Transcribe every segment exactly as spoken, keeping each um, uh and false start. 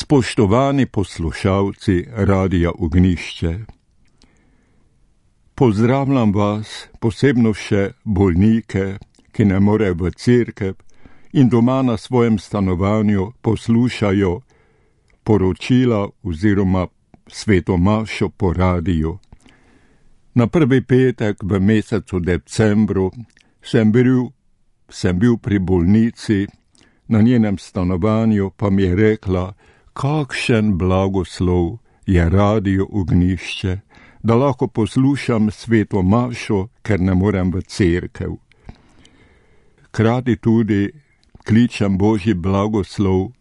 Spoštovani poslušalci Radia Ognjišče, pozdravljam vas, posebno še bolnike, ki ne morejo v cerkev in doma na svojem stanovanju poslušajo poročila oziroma sveto mašo po radiju. Na prvi petek v mesecu decembru sem bil, sem bil pri bolnici, na njenem stanovanju pa mi je rekla, kakšen blagoslov je Radio Ognjišče, da lahko poslušam sveto mašo, ker ne morem v cerkev. Krati tudi kličem Božji blagoslov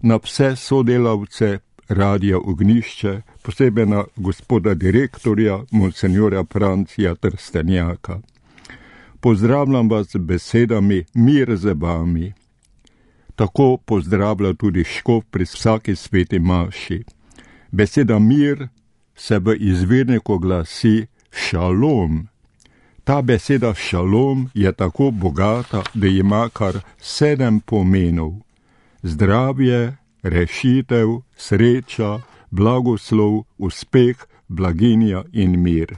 na vse sodelavce Radia Ognjišče, posebej na gospoda direktorja, monsenjora Francija Trstenjaka. Pozdravljam vas z besedami mir z vami. Tako pozdravlja tudi škof pri vsaki sveti maši. Beseda mir se v izvirniku glasi šalom. Ta beseda šalom je tako bogata, da ima kar sedem pomenov. Zdravje, rešitev, sreča, blagoslov, uspeh, blaginja in mir.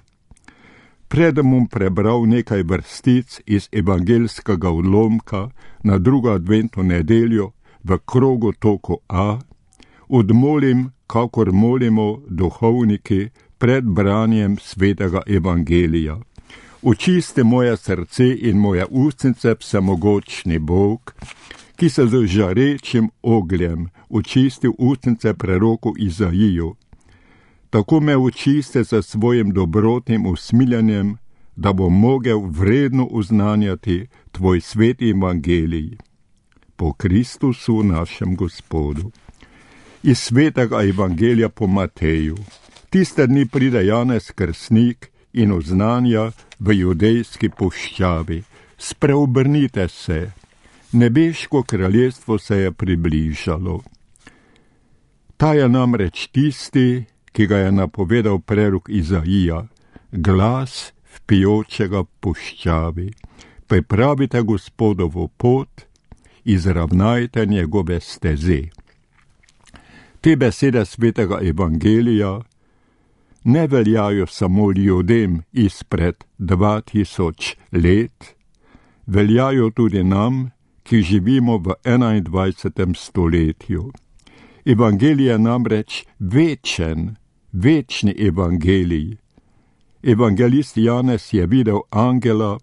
Predem bom prebral nekaj vrstic iz evangeljskega odlomka na drugo adventno nedeljo v krogu toku A, odmolim, kakor molimo duhovniki pred branjem svetega evangelija. Očisti moje srce in moje ustnice, vsemogočni Bog, ki se z žarečim ogljem očisti ustnice preroku Izaiju. Tako me očiste za svojim dobrotnim usmiljanjem, da bom mogel vredno uznanjati tvoj sveti evangelij. Po Kristusu našem Gospodu. Iz svetega evangelija po Mateju. Tiste dni pride Janez Krstnik in oznanja v judejski puščavi. Spreobrnite se, nebeško kraljestvo se je približalo. Ta je namreč tisti, ki ga je napovedal prerok Izaija, glas vpijočega puščavi. Pripravite Gospodovo pot, izravnajte njegove steze. Te besede svetega evangelija ne veljajo samo ljudem izpred dva tisoč let, veljajo tudi nam, ki živimo v enaindvajsetem stoletju. Evangelij je namreč večen, večni evangelij. Evangelist Janez je videl angela,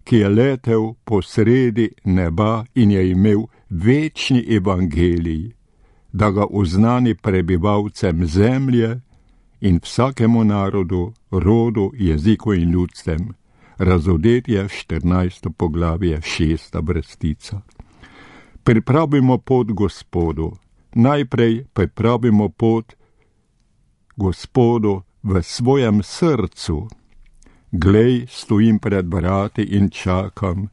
ki je letel po sredi neba in je imel večni evangelij, da ga oznani prebivalcem zemlje in vsakemu narodu, rodu, jeziku in ljudstvem. Razodetje štirinajsto poglavje, šesta vrstica. Pripravimo pot Gospodu. Najprej pripravimo pot Gospodu v svojem srcu. Glej, stojim pred vrati in čakam.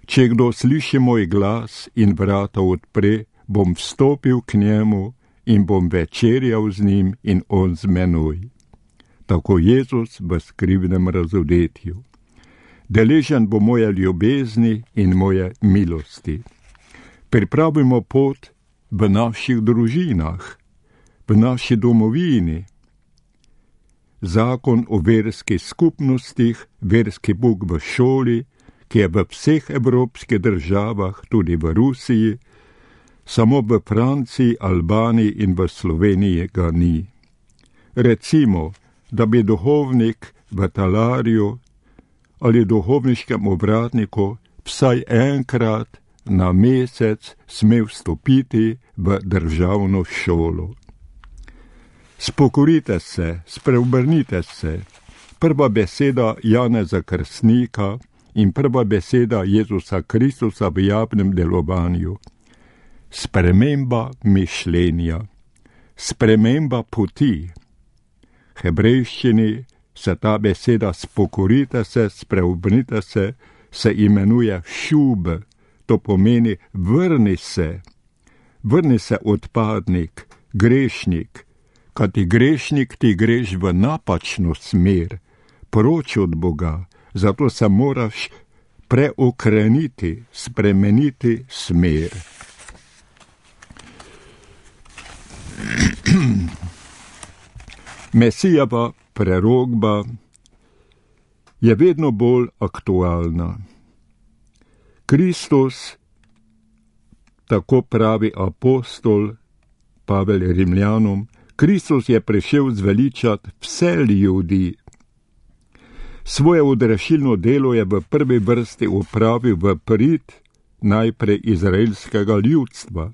Če kdo sliši moj glas in vrata odpre, bom vstopil k njemu in bom večerjal z njim in on z menoj. Tako Jezus v skrivnem razodetju. Deležen bo moje ljubezni in moje milosti. Pripravimo pot v naših družinah, v naši domovini. Zakon o verskih skupnostih, verski pouk v šoli, ki je v vseh evropskih državah, tudi v Rusiji, samo v Franciji, Albaniji in v Sloveniji ga ni. Recimo, da bi duhovnik v talarju ali duhovniškem ovratniku vsaj enkrat na mesec smel vstopiti v državno šolo. Spokorite se, spreobrnite se. Prva beseda Janeza Krstnika in prva beseda Jezusa Kristusa v javnem delovanju. Sprememba mišljenja, sprememba poti. V hebrejščini se ta beseda spokorite se, spreobrnite se, se imenuje šub, to pomeni vrni se, vrni se odpadnik, grešnik, kad ti grešnik, ti greš v napačno smer, proč od Boga, zato se moraš preokreniti, spremeniti smer. Mesijeva prerokba je vedno bolj aktualna. Kristus, tako pravi apostol Pavel Rimljanom, Kristus je prišel zveličati vse ljudi. Svoje odrešilno delo je v prvi vrsti opravil v prid najprej izraelskega ljudstva,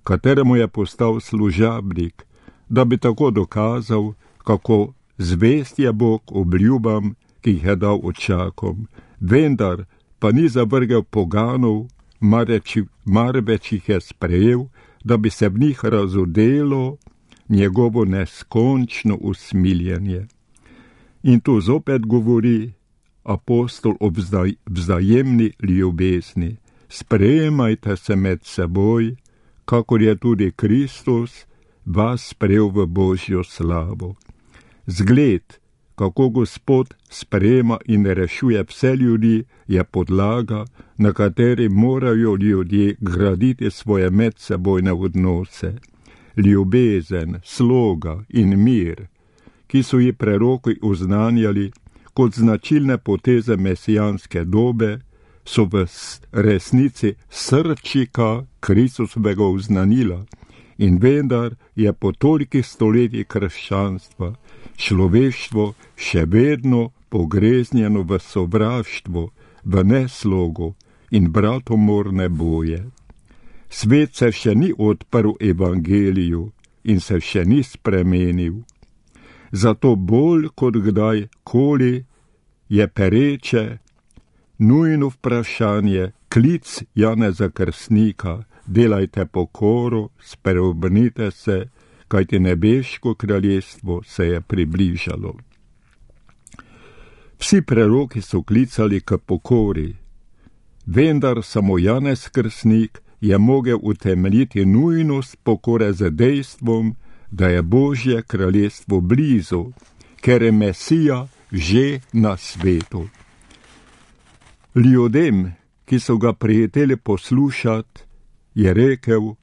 kateremu je postal služabnik, da bi tako dokazal, kako zvest je Bog obljubam, ki jih je dal očakom, vendar pa ni zavrgel poganov, marveč jih je sprejel, da bi se v njih razodelo njegovo neskončno usmiljenje. In tu zopet govori apostol o vzajemni ljubezni. Sprejemajte se med seboj, kakor je tudi Kristus vas sprejel v Božjo slavo. Zgled, kako Gospod sprejema in rešuje vse ljudi, je podlaga, na kateri morajo ljudje graditi svoje medsebojne odnose. Ljubezen, sloga in mir, ki so ji preroki oznanjali kot značilne poteze mesijanske dobe, so v resnici srčika Kristusovega oznanila in vendar je po tolikih stoletjih krščanstva človeštvo še vedno pogreznjeno v sovraštvo, v neslogo in bratomorne boje. Svet se še ni odprl evangeliju in se še ni spremenil. Zato bolj kot kdajkoli je pereče, nujno vprašanje, klic Janeza Krstnika, delajte pokoro, spreobrnite se, kajti nebeško kraljestvo se je približalo. Vsi preroki so klicali k pokori, vendar samo Janez Krstnik je mogel utemeljiti nujnost pokore z dejstvom, da je Božje kraljestvo blizu, ker je Mesija že na svetu. Ljudem, ki so ga prijeteli poslušati, je rekel,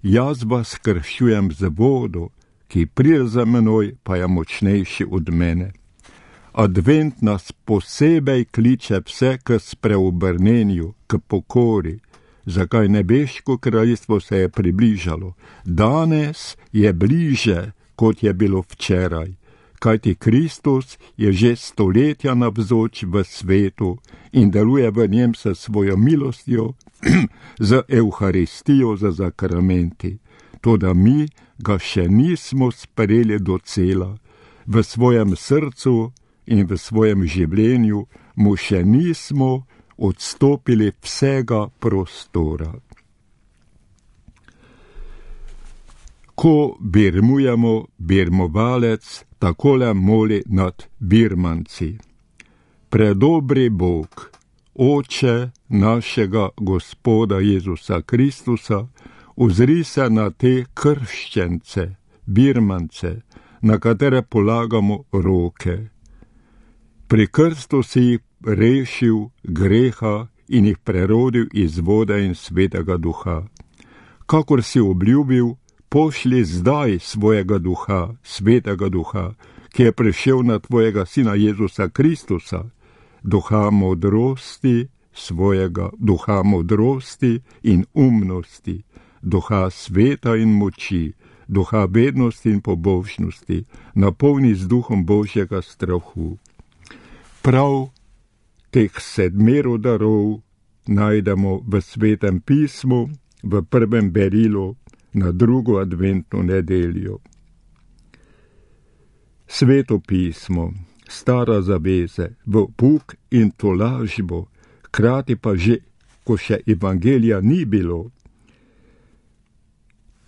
jaz vas krščujem z vodo, ki pride za menoj, pa je močnejši od mene. Advent nas posebej kliče vse k spreobrnenju, k pokori, zakaj nebeško kraljestvo se je približalo. Danes je bliže, kot je bilo včeraj, kajti Kristus je že stoletja navzoč v svetu in deluje v njem s svojo milostjo, z Evharistijo, z zakramenti. Toda mi ga še nismo sprejeli do cela, v svojem srcu in v svojem življenju mu še nismo odstopili vsega prostora. Ko birmujemo, birmovalec takole moli nad birmanci. Predobri Bog, Oče našega Gospoda Jezusa Kristusa, ozri se na te krščence, birmance, na katere polagamo roke. Pri krstu si jih rešil greha in jih prerodil iz vode in svetega duha. Kakor si obljubil, pošli zdaj svojega duha, svetega duha, ki je prišel na tvojega sina Jezusa Kristusa, duha modrosti svojega, duha modrosti in umnosti, duha sveta in moči, duha vednosti in pobožnosti, napolni z duhom Božjega strahu. Prav teh sedmero darov najdemo v Svetem pismu, v prvem berilu na drugo adventno nedeljo. Sveto pismo, stara zaveze, v pouk in tolažbo, krati pa že, ko še evangelija ni bilo.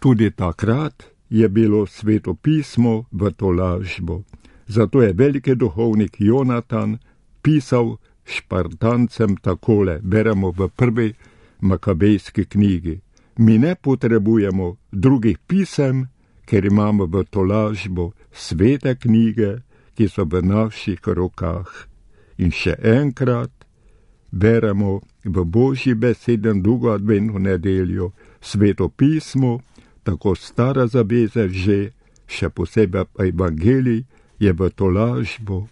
Tudi takrat je bilo sveto pismo v tolažbo. Zato je veliki duhovnik Jonatan pisal Špartancem takole, beremo v prvi Makabejski knjigi. Mi ne potrebujemo drugih pisem, ker imamo v tolažbo svete knjige, ki so v naših rokah. In še enkrat beremo v Božji besedi drugo adventno nedeljo, sveto pismo, tako stara zaveza že, še posebej pa evangelij, je v tolažbo.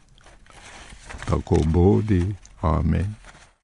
Tako bodi. Amen.